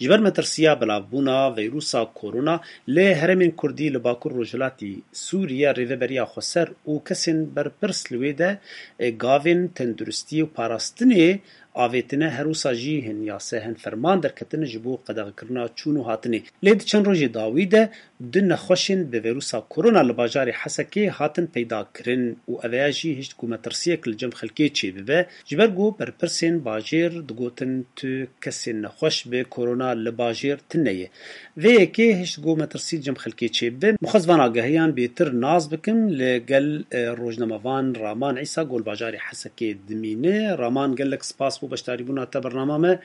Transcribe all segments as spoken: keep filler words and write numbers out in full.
Ji ber metirsiya belavbûna vîrusa korona li herêmên kurdî li Bakur Rojhilatî Sûriye, Rêveberiya Xweser û kesên berpirs li wê de, e, gavên tenduristiyê û parastinê avêtine, her wisa jî hin yase, hin ferman derketin ji bo qedexekirina çûn û hatinê. Lê di çend rojê dawî de du nexweşên bi vîrusa korona li bajarê Hesekê hatin peyda kirin û eveya jî hişt ku metirsiyek li cem xelkê çêbibe, ji ber ku berpirsên bajêr digotin tu kesên nexweş bi korona li bajêr tune ye. Vê yekê hişt ku metirsî li cem xelkê çêbibe. Min xwest van agahiyan bêtir nas bikim li gel, e, rojnamevan Raman Îsa ku li bajarê Hesekê dimîne. Raman, gelek spas bo beşdarîbûna te bernama me.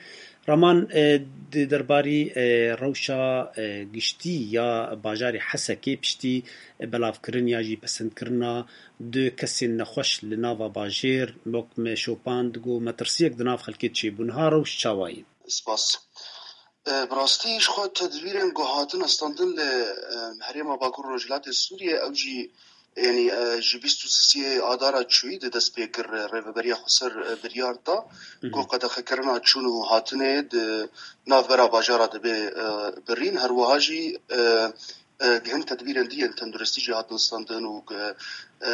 Raman, e, di derbarî, e, rewşa, e, giştî ya bajarê Hesekê piştî, e, belavkirin ya jî pesendkirina du kesên nexweş li nava bajêr, wek me şopand, ku metirsiyek di nav xelkê çêbû. Niha rewş çawa ye? Spas. E, bi rastî ji xwe tedbîrên ku hatin standin li, e, herêma Bakur Rojhilatê Sûriyê, ew jî, yanî, e, ji bîst û sisê Adara çûyî de dest pê kir, e, Rêveberiya Xweser, e, biryar da ku qedexekirina çûn û hatinê di navbera bajara dibe, e, birîn. Her wiha jî, e, e, hin tedbîrên dî yên tenduristî jî hatin standin û, e, e,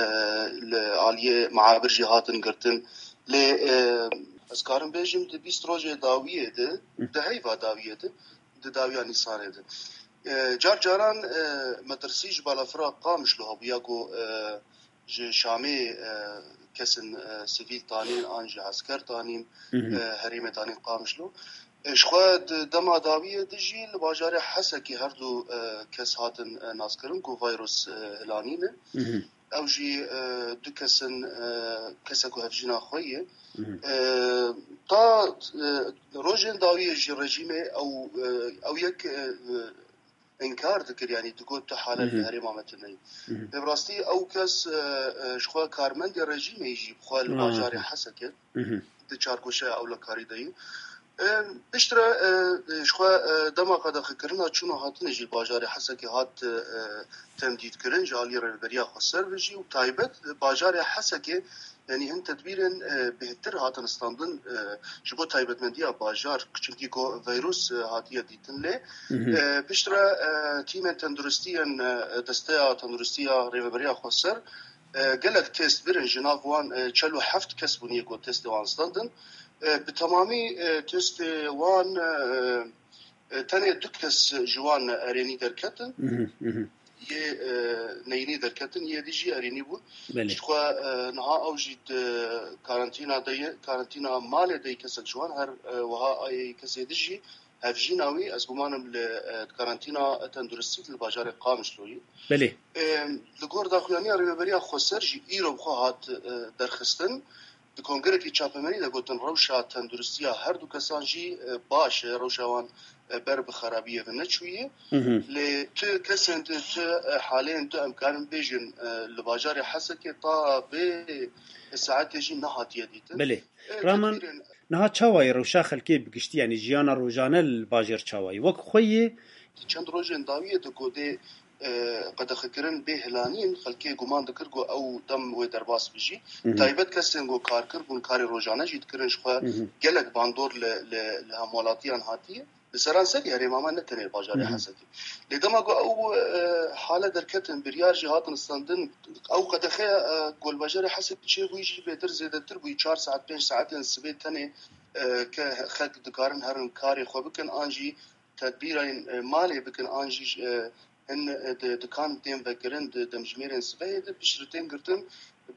li aliyê meabir jî hatin girtin. Lê, e, ez karim bêjim di bîst rojê dawiyê de, di heyva dawiyê de, di dawiya Nîsanê de. E, car caran, e, metirsî ji balafira Qamişlo hebûya ku, e, ji Şamê, e, kesên, e, sivîl tanîn an jî esker tanîn, e, herêmê tanîn Qamişlo. E, ji xwe di dema dawiyê de jî li bajarê Hesekê her du, e, kes hatin, e, naskirin ku vîrus, e, hilanî ne. Ew jî, e, du kes in, e, kesek û hevjîna xwe ye. E, ta, e, rojên dawiyê jî rejîmê ew, e, ew yek, e, e, înkar dikir, yanî digot tu hale li herêma me tune ye. Lê bi rastî ew kes, e, e, ji xwe karmendê rejîmê jî bi xwe li bajarê Hesekê di çargoşeya ewlekarî de ye. E, piştre, e, ji xwe, e, dema qedexekirina çûn û hatinê jî li bajarê Hesekê hat, e, temdîtkirin ji alî Rêveberiya Xweser ve jî û taybet bajarê Hesekê, yanî hin tedbîrên, e, bêhtir hatin standin, e, ji bo taybetmendiya bajar, çimkî ku vîrus, e, hatiye dîtin lê. E, piştre, e, tîmên tenduristî yên, e, Desteya Tenduristiya Rêveberiya Xweser, e, gelek test birin, ji nav wan, e, çel û heft kes bûn yê ku testê wan standin. E, bi temamî, e, testê wan, e, e, tenê du kes ji wan erênî derketin. Yê, e, neyînî derketin, yê dî jî erênî bûn. Belê. Ji xwe, e, niha ew jî di karantîna de ye, karantîna malê de ye kesek ji wan, her, e, wiha ayê kesê dî jî hevjîna wî, ez gumanim li, e, karantîna tenduristî li bajarê Qamişlo ye. Belê. E, li gor daxuyaniya Rêveberiya Xweser jî îro bi xwe hat, e, derxistin. Di kongerekî çapemenî de gotin, rewşa tenduristiya her du kesan jî, e, baş e, rewşa wan, e, ber bi xerabiyê ve neçûye. Lê tu kesên tu, tu, e, halên tu, em karin bêjin, e, li bajarê Hesekê ta vê saetê jî nehatiye dîtin. Belê. E, Raman, tedbîrên niha çawa ye rewşa xelkê bi giştî, yanî jiyana rojane li bajêr çawa ye? Wek xwe yê? Di çend rojên dawiyê de ku dê, e, qedexekirin bê hilanîn, xelkê guman dikir ku ew dem wê derbas bijî. Taybet kesên ku karkir bûn, karê rojane jî dikirin, ji xwe gelek bandor li, li, li hemwelatiyan hatiye. Li seranserî herêma me, ne tenê bajarê Hesekê. Lê dema ku ew, e, hale derketin, biryar jî hatin standin, ew qedexe, e, ku li bajarê Hesekê çêbûyî jî bêtir zêdetir bûyî, çar saet, pênc saetên sibê tenê, e, ke xelk dikarin herin karê xwe bikin, an jî tedbîrên, e, malê bikin, an jî, e, hin, e, di, dikan tên vekirin, di demjimêrên sibehê de piştre tên girtin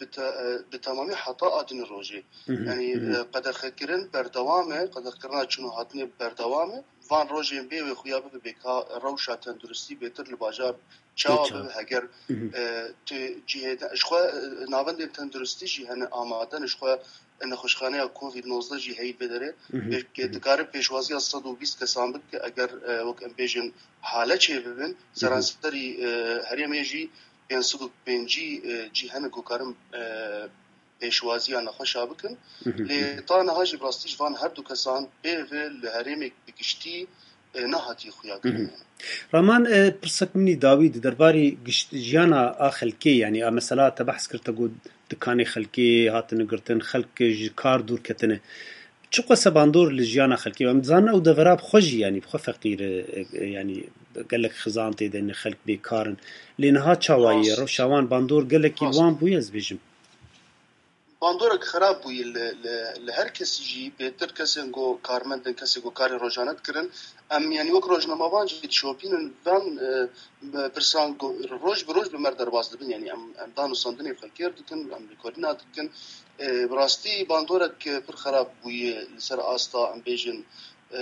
bi te-, e, bi temamî heta a din rojê. Yanî, e, qedexekirin berdewam e, qedexekirina çûn û hatinê berdewam e. Van rojên bê wê xuya bibe bê ka rewşa tenduristî bêtir li bajar çawa bibe, heger, e, tu cihê de, ji xwe, e, navendên tenduristî jî hene amade ne, ji xwe nexweşxaneya Covid nozdeh jî heyî vê derê. Pê-, pê-, dikare pêşwaziya sed û bîst kesan bike, eger, e, wek em bêjin hale çê bibin, seranserî, e, herêmê jî pênc sed û pêncî, e, cî hene ku karin, e, pêşwaziya nexweşa bikin. Lê ta niha jî bi rastî ji van her du kesan pê ve li herêmê bi giştî, e, nehatiye xuya kirin. Raman, e, pirsek min î dawî di derbarî gişt-, jiyana a xelkê, yanî a mesela te behs kir, te got dikanê xelkê hatine girtin, xelk ji kar dûr ketine. Çiqas e bandor li jiyana xelkê? Em dizanin ew devera bi xwe jî, yanî bi xwe feqîr e, e, yanî gelek xizan tê de ne, xelk bêkar in. Lê niha çawa ye? Rast. Rewşa wan bandor gelekî li Rast. wan bûye, ez bêjim. Bandorek xerab bûye li, li, li her kesî jî, bêtir kesên ku karmend in, kesê ku karê rojane dikirin. Em, yanî wek rojnamevan jî dişopînin van, e, pirsan ku roj bi roj bi me re derbas dibin. Yanî em, em danûstandinê xelkê re dikin, em lêkolîna dikin. E, bi rastî bandorek, e, pir xerab bûye li ser asta, em bêjin, e,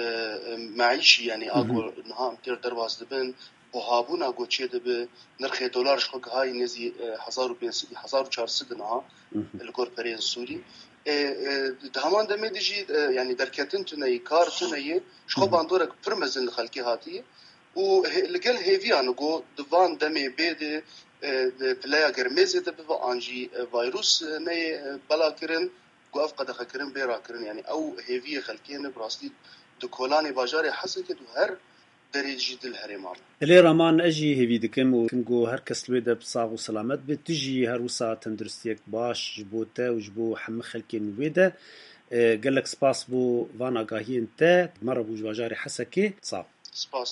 e, meîşî, yanî a ku niha em têr derbas dibin, buhabûna ku çêdibe, nirxê dolar ji xwe gihayî nêzî, e, hezar û pênc sed, hezar û çar sed niha li gor pereyên Sûrî. E, e, di heman demê de jî, e, yanî derketin tune ye, kar tune ye, ji xwe bandorek pir mezin li xelkê hatiye û hê-, li gel hêviyan ku di van demê bê de, e, di pileya germê zêde bibe an jî, e, vayrus, e, neyê, e, belakirin, ku ev qedexekirin bê rakirin. Yanî ew hêviyê xelkê ne, bi rastî di kolanê bajarê Hesekê û her derê jî dil herêma me. Lê Raman, ez jî hêvî dikim û dikim ku her kes li wê de bi sax û selamet be. Tu jî her wisa tenduristiyek baş ji bo te û ji bo hemî xelkên wê de. E, gelek spas bo van agahiyên te. Me re bû ji bajarê Hesekê. Sax. Spas.